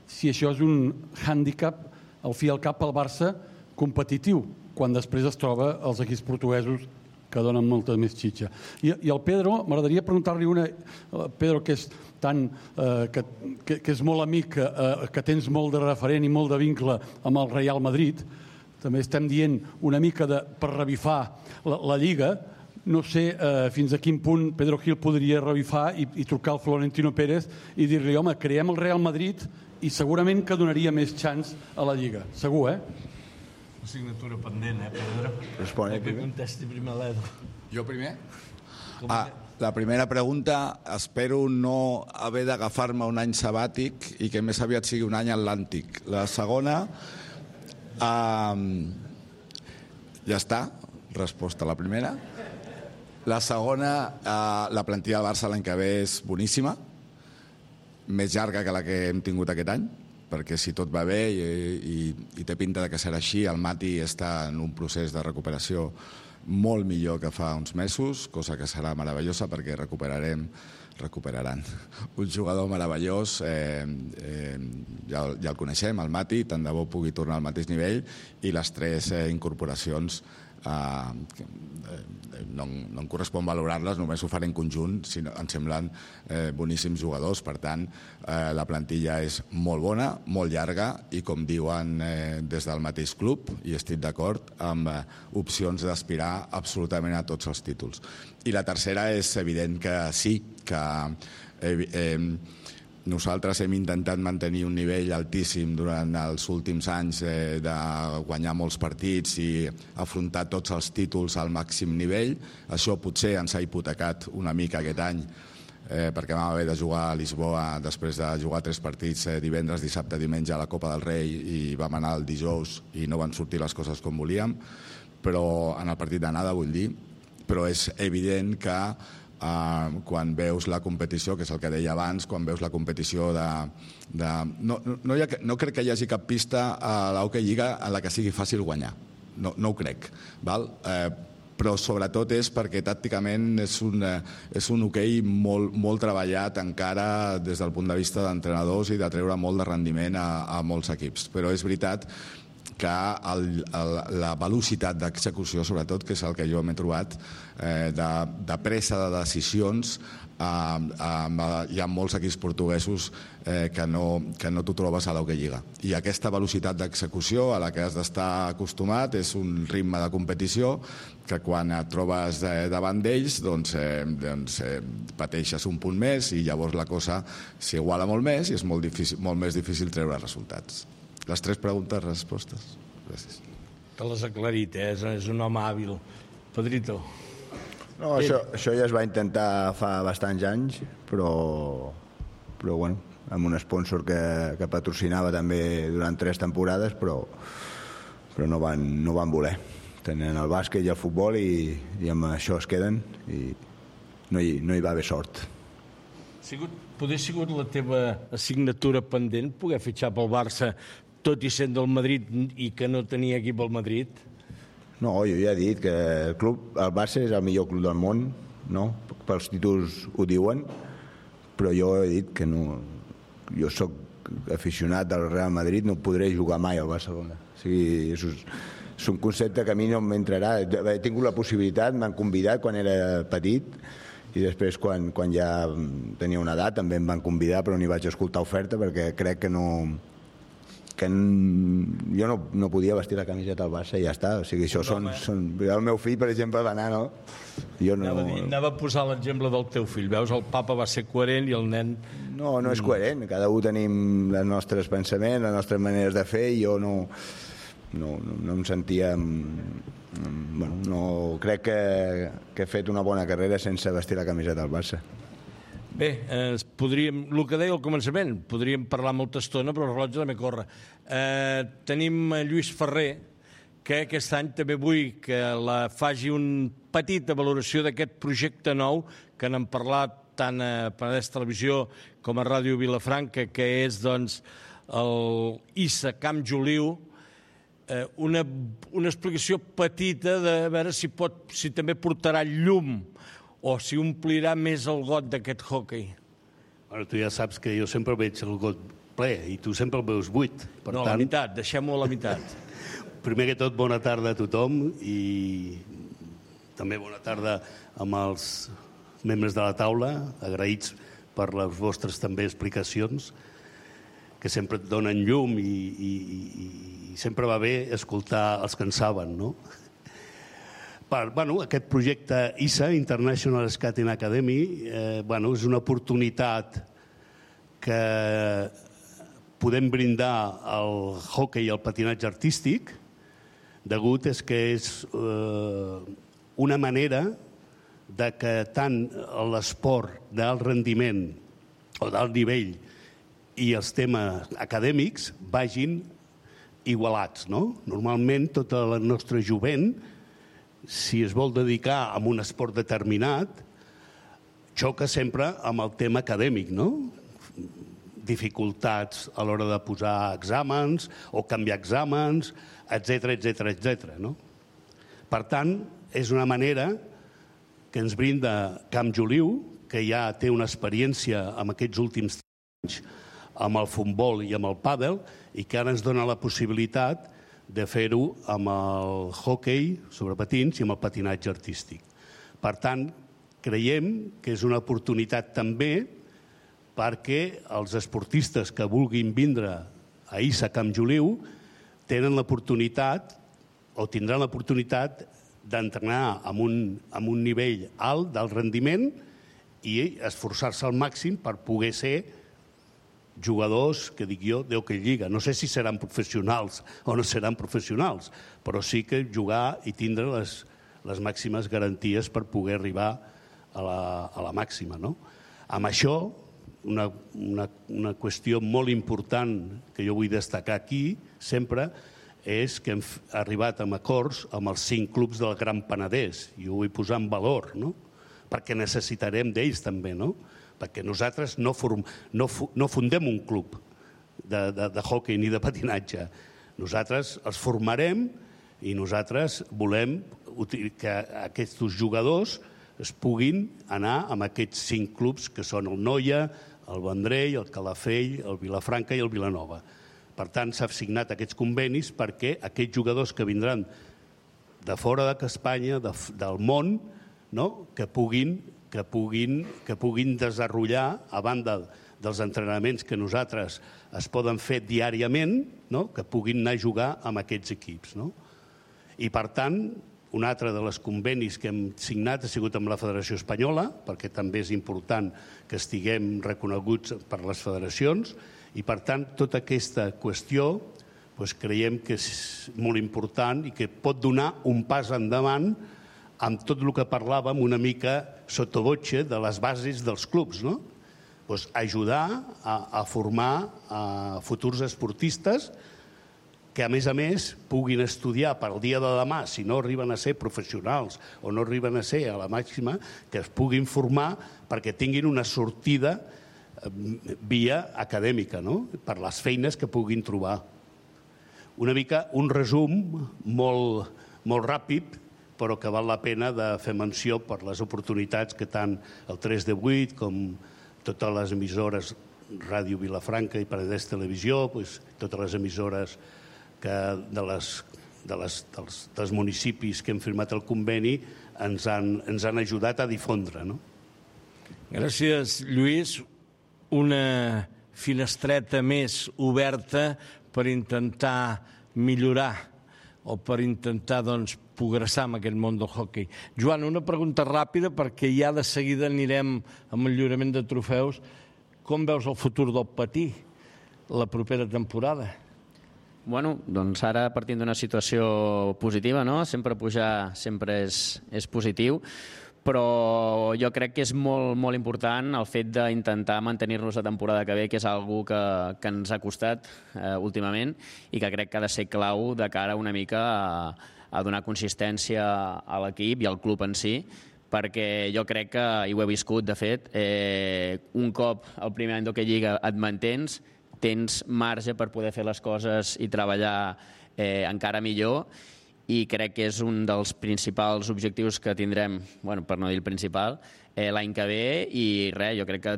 si això és un hàndicap, al fi i al cap, al Barça competitiu, quan després es troba els equips portuguesos que donen molta més xitxa. I, i el Pedro, m'agradaria preguntar-li una... Pedro, que és tan... Eh, que, que, que és molt amic, eh, que tens molt de referent i molt de vincle amb el Real Madrid, també estem dient una mica de, per revifar la, la Lliga, no sé eh, fins a quin punt Pedro Gil podria revifar i, i trucar al Florentino Pérez i dir-li, home, creem el Real Madrid i segurament que donaria més xans a la Lliga. Segur, eh?
Assignatura pendent, eh, Pedro?
Respon, eh,
que contesti primer l'Edu.
Jo primer? Ah, la primera pregunta, espero no haver d'agafar-me un any sabàtic i que més aviat sigui un any atlàntic. La segona, eh, ja està, resposta a la primera. La segona, eh, la plantilla del Barça l'any que ve és boníssima, més llarga que la que hem tingut aquest any, perquè si tot va bé i, i, i té pinta de que serà així, el Mati està en un procés de recuperació molt millor que fa uns mesos, cosa que serà meravellosa perquè recuperarem, recuperaran un jugador meravellós, eh, eh, ja, ja el coneixem, el Mati, tant de bo pugui tornar al mateix nivell, i les tres eh, incorporacions eh, no, no em correspon valorar-les, només ho faré en conjunt, sinó, em semblen eh, boníssims jugadors, per tant eh, la plantilla és molt bona, molt llarga i com diuen eh, des del mateix club, i estic d'acord, amb eh, opcions d'aspirar absolutament a tots els títols. I la tercera és evident que sí, que eh, eh, nosaltres hem intentat mantenir un nivell altíssim durant els últims anys eh, de guanyar molts partits i afrontar tots els títols al màxim nivell. Això potser ens ha hipotecat una mica aquest any eh, perquè vam haver de jugar a Lisboa després de jugar tres partits eh, divendres, dissabte, diumenge a la Copa del Rei i vam anar el dijous i no van sortir les coses com volíem, però en el partit d'anada vull dir, però és evident que Uh, quan veus la competició, que és el que deia abans, quan veus la competició de... de no, no, hi ha, no crec que hi hagi cap pista a l'Hockey Lliga en la que sigui fàcil guanyar. No, no ho crec. Val? Uh, però sobretot és perquè tàcticament és un, és un hoquei molt, molt treballat encara des del punt de vista d'entrenadors i de treure molt de rendiment a, a molts equips. Però és veritat que el, el, la velocitat d'execució, sobretot, que és el que jo m'he trobat, eh, de, de pressa de decisions, eh, eh, hi ha molts equips portuguesos eh, que no, que no t'ho trobes a l'Hockey Lliga. I aquesta velocitat d'execució a la que has d'estar acostumat és un ritme de competició que quan et trobes eh, davant d'ells doncs, eh, doncs eh, pateixes un punt més i llavors la cosa s'iguala molt més i és molt, difícil, molt més difícil treure resultats. Les tres preguntes, respostes. Gràcies.
Te l'has aclarit, eh? És un home hàbil. Pedrito.
No, això, això ja es va intentar fa bastants anys, però, però bueno, amb un sponsor que, que patrocinava també durant tres temporades, però, però no van, no van voler. Tenen el bàsquet i el futbol i, i amb això es queden i no hi, no hi va haver sort.
Sigut, poder sigut la teva assignatura pendent poder fitxar pel Barça tot i sent del Madrid i que no tenia equip al Madrid?
No, jo ja he dit que el club, el Barça és el millor club del món, no? Pels títols ho diuen, però jo he dit que no, jo sóc aficionat del Real Madrid, no podré jugar mai al Barcelona. O sigui, és, és un concepte que a mi no m'entrarà. He tingut la possibilitat, m'han convidat quan era petit i després quan, quan ja tenia una edat també em van convidar, però ni vaig escoltar oferta perquè crec que no... que jo no, no podia vestir la camiseta al Barça i ja està. O sigui, això són, són... El meu fill, per exemple, va anar, no? Jo no...
Anava, a dir, anava a posar l'exemple del teu fill. Veus, el papa va ser coherent i el nen...
No, no és coherent. Cada un tenim els nostres pensaments, les nostres maneres de fer i jo no... No, no, no em sentia... Bueno, no, crec que, que he fet una bona carrera sense vestir la camiseta del Barça.
Bé, eh, podríem, el que deia al començament, podríem parlar molta estona, però el rellotge també corre. Eh, tenim Lluís Ferrer, que aquest any també vull que la faci una petita valoració d'aquest projecte nou, que n'han parlat tant a Penedès Televisió com a Ràdio Vilafranca, que és doncs, el I S A Camp Joliu. Eh, una, una explicació petita de veure si, pot, si també portarà llum o si omplirà més el got d'aquest hoquei.
Bueno, tu ja saps que jo sempre veig el got ple i tu sempre el veus buit. Per
no,
tant...
la meitat, deixem-ho a la meitat.
Primer que tot, bona tarda a tothom i també bona tarda amb els membres de la taula, agraïts per les vostres també explicacions, que sempre et donen llum i, i, i, i sempre va bé escoltar els que en saben, no? Per, bueno, aquest projecte I S A, International Skating Academy, eh, bueno, és una oportunitat que podem brindar al hoquei i al patinatge artístic, degut és que és eh, una manera de que tant l'esport d'alt rendiment o d'alt nivell i els temes acadèmics vagin igualats, no? Normalment, tota la nostra jovent, si es vol dedicar a un esport determinat, xoca sempre amb el tema acadèmic, no? Dificultats a l'hora de posar exàmens o canviar exàmens, etcètera, etcètera, etcètera, no? Per tant, és una manera que ens brinda Camp Joliu, que ja té una experiència en aquests últims anys amb el futbol i amb el pàdel, i que ara ens dona la possibilitat de fer-ho amb el hoquei sobre patins i amb el patinatge artístic. Per tant, creiem que és una oportunitat també perquè els esportistes que vulguin vindre a I S A Camp Joliu tenen l'oportunitat o tindran l'oportunitat d'entrenar amb un, amb un nivell alt del rendiment i esforçar-se al màxim per poder ser jugadors, que dic jo, d'hoquei lliga. No sé si seran professionals o no seran professionals, però sí que jugar i tindre les, les màximes garanties per poder arribar a la, a la màxima, no? Amb això, una, una, una qüestió molt important que jo vull destacar aquí, sempre, és que hem arribat a acords amb els cinc clubs del Gran Penedès, i ho vull posar en valor, no? Perquè necessitarem d'ells també, no? Perquè nosaltres no, form, no, no fundem un club de, de, de hoquei ni de patinatge. Nosaltres els formarem i nosaltres volem que aquests jugadors es puguin anar amb aquests cinc clubs que són el Noia, el Vendrell, el Calafell, el Vilafranca i el Vilanova. Per tant, s'han signat aquests convenis perquè aquests jugadors que vindran de fora d'Espanya, de, del món, no? que puguin que puguin, que puguin desenvolupar, a banda dels entrenaments que nosaltres es poden fer diàriament, no? que puguin anar a jugar amb aquests equips. No? I, per tant, un altre dels convenis que hem signat ha sigut amb la Federació Espanyola, perquè també és important que estiguem reconeguts per les federacions, i, per tant, tota aquesta qüestió doncs, creiem que és molt important i que pot donar un pas endavant amb tot el que parlàvem una mica sottovoce de les bases dels clubs, no? Pues ajudar a, a formar a futurs esportistes que a més a més puguin estudiar per al dia de demà, si no arriben a ser professionals o no arriben a ser a la màxima, que es puguin formar perquè tinguin una sortida via acadèmica, no? Per les feines que puguin trobar. Una mica un resum molt, molt ràpid, però que val la pena de fer menció per les oportunitats que tant el tres de vuit com totes les emissores Ràdio Vilafranca i Penedès Televisió, doncs, totes les emissores que de les, de les, dels, dels municipis que hem firmat el conveni ens han, ens han ajudat a difondre. No?
Gràcies, Lluís. Una finestreta més oberta per intentar millorar o per intentar doncs, progressar en aquest món del hoquei. Joan, una pregunta ràpida perquè ja de seguida anirem amb el lliurament de trofeus. Com veus el futur del patí la propera temporada?
Bueno, doncs ara partint d'una situació positiva, no? Sempre pujar sempre és, és positiu, però jo crec que és molt, molt important el fet d'intentar mantenir-nos la temporada que ve, que és algo que, que ens ha costat eh, últimament i que crec que ha de ser clau de cara una mica a, a donar consistència a l'equip i al club en si, perquè jo crec que, i ho he viscut de fet, eh, un cop el primer any d'Hockey Lliga et mantens, tens marge per poder fer les coses i treballar eh, encara millor, i crec que és un dels principals objectius que tindrem, bueno, per no dir el principal, eh, l'any que ve, i res, jo crec que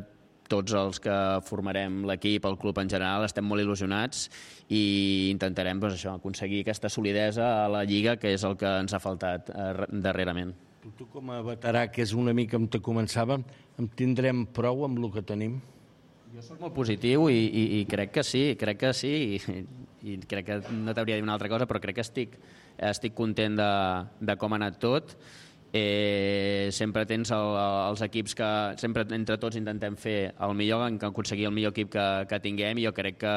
tots els que formarem l'equip, el club en general, estem molt il·lusionats i intentarem doncs, això, aconseguir aquesta solidesa a la Lliga, que és el que ens ha faltat eh, darrerament.
Tu com a veterà, que és una mica on te començàvem, en tindrem prou amb el que tenim?
Jo soc molt positiu i, i, i crec que sí, crec que sí, i, i crec que no t'hauria de dir una altra cosa, però crec que estic, estic content de, de com ha anat tot. Eh, sempre tens el, els equips que sempre entre tots intentem fer el millor, aconseguir el millor equip que, que tinguem, i jo crec que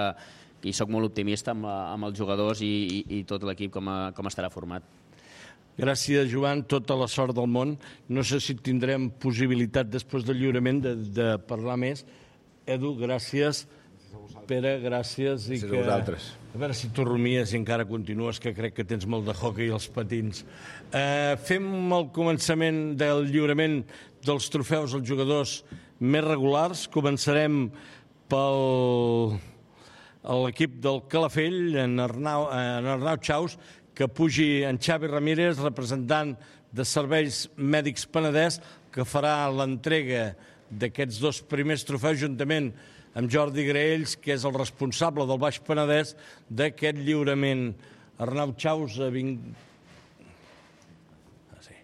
i soc molt optimista amb, la, amb els jugadors i, i, i tot l'equip com, a, com estarà format.
Gràcies, Joan, tota la sort del món. No sé si tindrem possibilitat després del lliurament de, de parlar més. Edu, gràcies. Pere, gràcies. I
gràcies
que,
a vosaltres.
A veure si tu rumies i encara continues, que crec que tens molt de hockey als patins. Eh, fem el començament del lliurament dels trofeus als jugadors més regulars. Començarem pel l'equip del Calafell, en Arnau, en Arnau Chaus, que pugi en Xavi Ramírez, representant de Serveis Mèdics Penedès, que farà l'entrega d'aquests dos primers trofeus juntament amb Jordi Graells, que és el responsable del Baix Penedès d'aquest lliurament. Arnau Chaus, a vint... Ah, sí.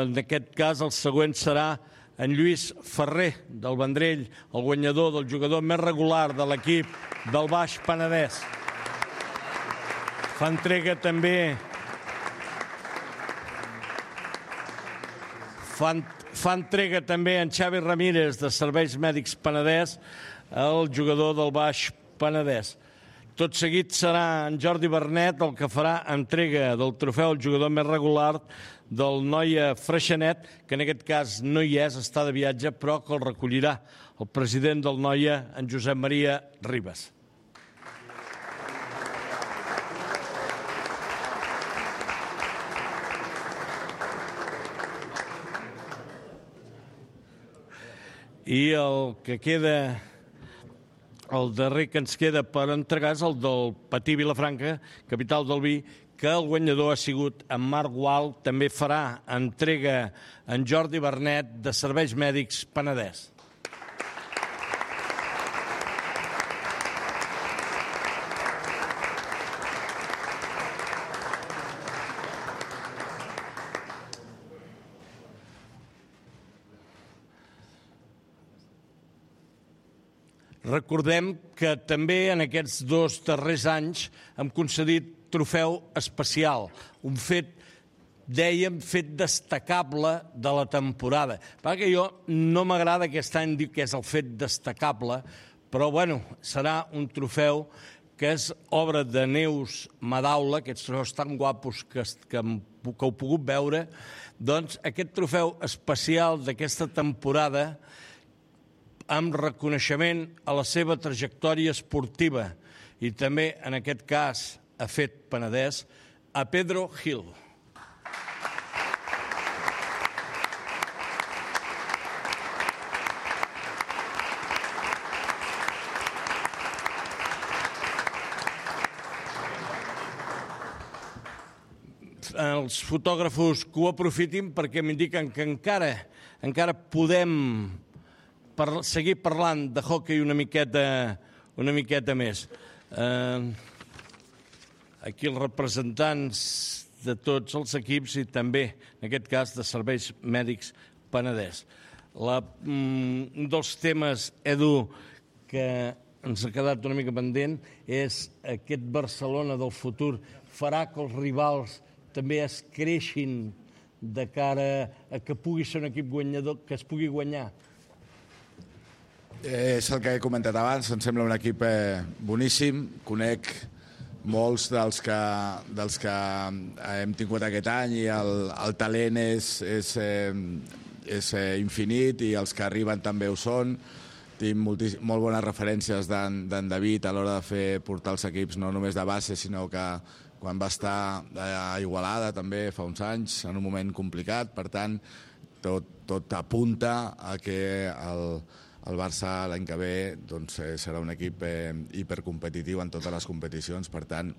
En aquest cas, el següent serà en Lluís Ferrer, del Vendrell, el guanyador del jugador més regular de l'equip del Baix Penedès. Fa entrega també... Fa, fa entrega també en Xavi Ramírez, de Serveis Mèdics Penedès, el jugador del Baix Penedès. Tot seguit serà en Jordi Bernet el que farà entrega del trofeu al jugador més regular del Noia Freixenet, que en aquest cas no hi és, està de viatge, però que el recollirà el president del Noia, en Josep Maria Ribas. I el que queda... El darrer que ens queda per entregar és el del Patí Vilafranca, capital del vi, que el guanyador ha sigut en Marc Gual. També farà entrega en Jordi Bernet, de Serveis Mèdics Penedès. Recordem que també en aquests dos darrers anys hem concedit trofeu especial, un fet, dèiem, fet destacable de la temporada. Perquè jo no m'agrada aquest any dir que és el fet destacable, però bueno, serà un trofeu que és obra de Neus Madaula, aquests trofeus tan guapos que, que, que heu pogut veure, doncs aquest trofeu especial d'aquesta temporada amb reconeixement a la seva trajectòria esportiva i també, en aquest cas, ha fet Penedès, a Pedro Gil. Els fotògrafos que ho aprofitin perquè m'indiquen que encara, encara podem par seguir parlant de hoquei una miqueta, una miqueta més. Eh, aquí els representants de tots els equips i també, en aquest cas, de Serveis Mèdics Penedès. La, mm, un dels temes, Edu, que ens ha quedat una mica pendent és aquest Barcelona del futur. Farà que els rivals també es creixin de cara a que pugui ser un equip guanyador, que es pugui guanyar?
Eh, és el que he comentat abans, em sembla un equip eh, boníssim. Conec molts dels que, dels que hem tingut aquest any i el, el talent és, és, eh, és eh, infinit i els que arriben també ho són. Tinc molt bones referències d'en David a l'hora de fer portar els equips no només de base, sinó que quan va estar a Igualada també fa uns anys, en un moment complicat. Per tant, tot, tot apunta a que el, el Barça l'any que ve doncs, serà un equip eh, hipercompetitiu en totes les competicions. Per tant,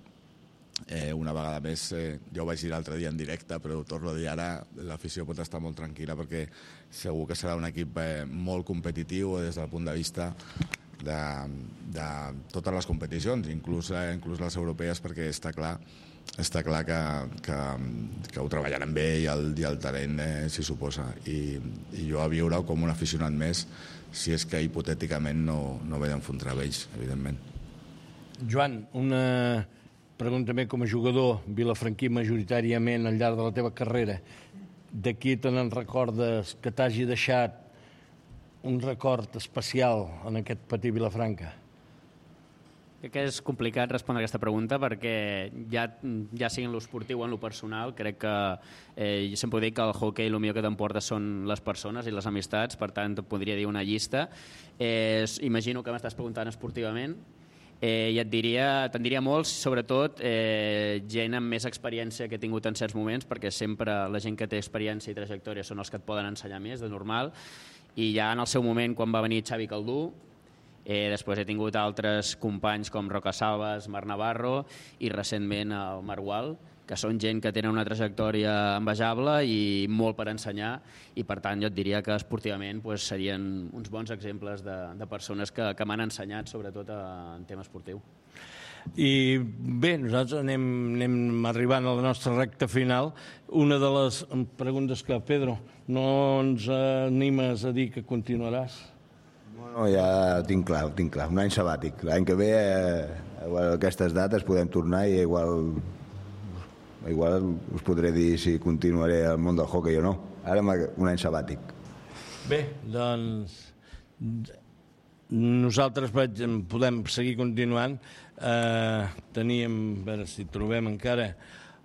eh, una vegada més, eh, jo ho vaig dir l'altre dia en directe, però ho torno a dir ara, l'afició pot estar molt tranquil·la perquè segur que serà un equip eh, molt competitiu des del punt de vista de, de totes les competicions, inclús, eh, inclús les europees, perquè està clar, està clar que, que, que ho treballaran bé i el, i el talent eh, s'hi suposa. I, I jo a viure com un aficionat més, si és que hipotèticament no, no ve d'enfrontar ells, evidentment.
Joan, una pregunta més com a jugador vilafranquí majoritàriament al llarg de la teva carrera. De qui te n'en recordes que t'hagi deixat un record especial en aquest petit Vilafranca?
Crec que és complicat respondre aquesta pregunta perquè ja, ja sigui en l'esportiu o en lo personal, crec que eh, jo sempre dic que el hoquei el millor que t'emporta són les persones i les amistats, per tant et podria dir una llista. Eh, imagino que m'estàs preguntant esportivament. Eh, i et diria, te'n diria molts, sobretot eh, gent amb més experiència que he tingut en certs moments, perquè sempre la gent que té experiència i trajectòria són els que et poden ensenyar més, de normal. I ja en el seu moment, quan va venir Xavi Caldú, eh, després he tingut altres companys com Roca Salvas, Marc Navarro i recentment el Margual, que són gent que tenen una trajectòria envejable i molt per ensenyar, i per tant jo et diria que esportivament pues, serien uns bons exemples de, de persones que, que m'han ensenyat sobretot en tema esportiu.
I bé, nosaltres anem, anem arribant a la nostra recta final. Una de les preguntes que, Pedro, no ens animes a dir que continuaràs?
No, ja ho tinc clar, ho tinc clar. Un any sabàtic. L'any que ve, eh, a aquestes dates, podem tornar i igual, igual us podré dir si continuaré al món del hoquei o no. Ara un any sabàtic.
Bé, doncs nosaltres podem seguir continuant. Eh, teníem, a veure si trobem encara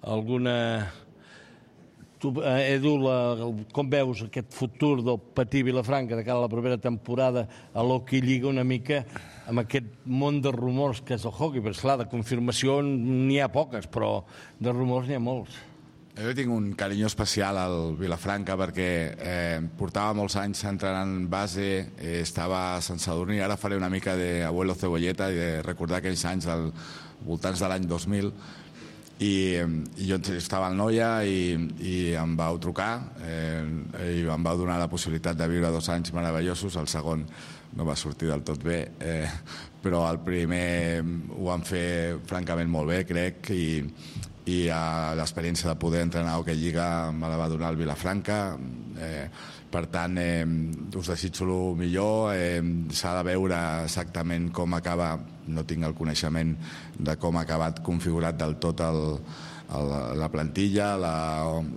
alguna... Tu, eh, Edu, la, el, com veus aquest futur del Patí Vilafranca de cara a la propera temporada a l'Hockey Lliga una mica amb aquest món de rumors que és el hockey? Perquè, esclar, de confirmació n'hi ha poques, però de rumors n'hi ha molts.
Jo tinc un carinyo especial al Vilafranca perquè eh, portava molts anys entrenant base, eh, estava a Sant Sadurní, ara faré una mica d'abuelo cebolleta i de recordar aquells anys al voltants de l'any dos mil. I, i jo estava al Noia i, i em vau trucar eh, i em vau donar la possibilitat de viure dos anys meravellosos. El segon no va sortir del tot bé, eh, però el primer ho vam fer francament molt bé, crec, i, i eh, l'experiència de poder entrenar a Hockey Lliga me la va donar el Vilafranca. Eh, per tant, eh, us desitjo el millor. Eh, s'ha de veure exactament com acaba, no tinc el coneixement de com ha acabat configurat del tot el, el, la plantilla. La,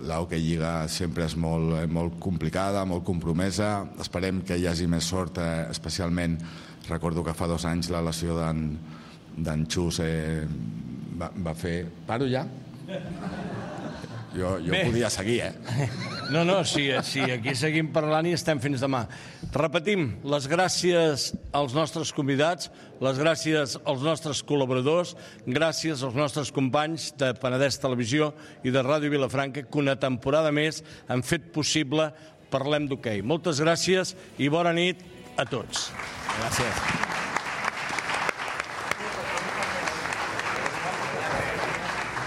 la Hockey Lliga sempre és molt, molt complicada, molt compromesa. Esperem que hi hagi més sort, eh, especialment recordo que fa dos anys la lesió d'en d'en Xus eh, va, va fer... Paro ja? Jo, jo podia seguir, eh?
No, no, sí, sí, aquí seguim parlant i estem fins demà. Repetim, les gràcies als nostres convidats, les gràcies als nostres col·laboradors, gràcies als nostres companys de Penedès Televisió i de Ràdio Vilafranca, que una temporada més han fet possible Parlem d'Hoquei. Moltes gràcies i bona nit a tots.
Gràcies.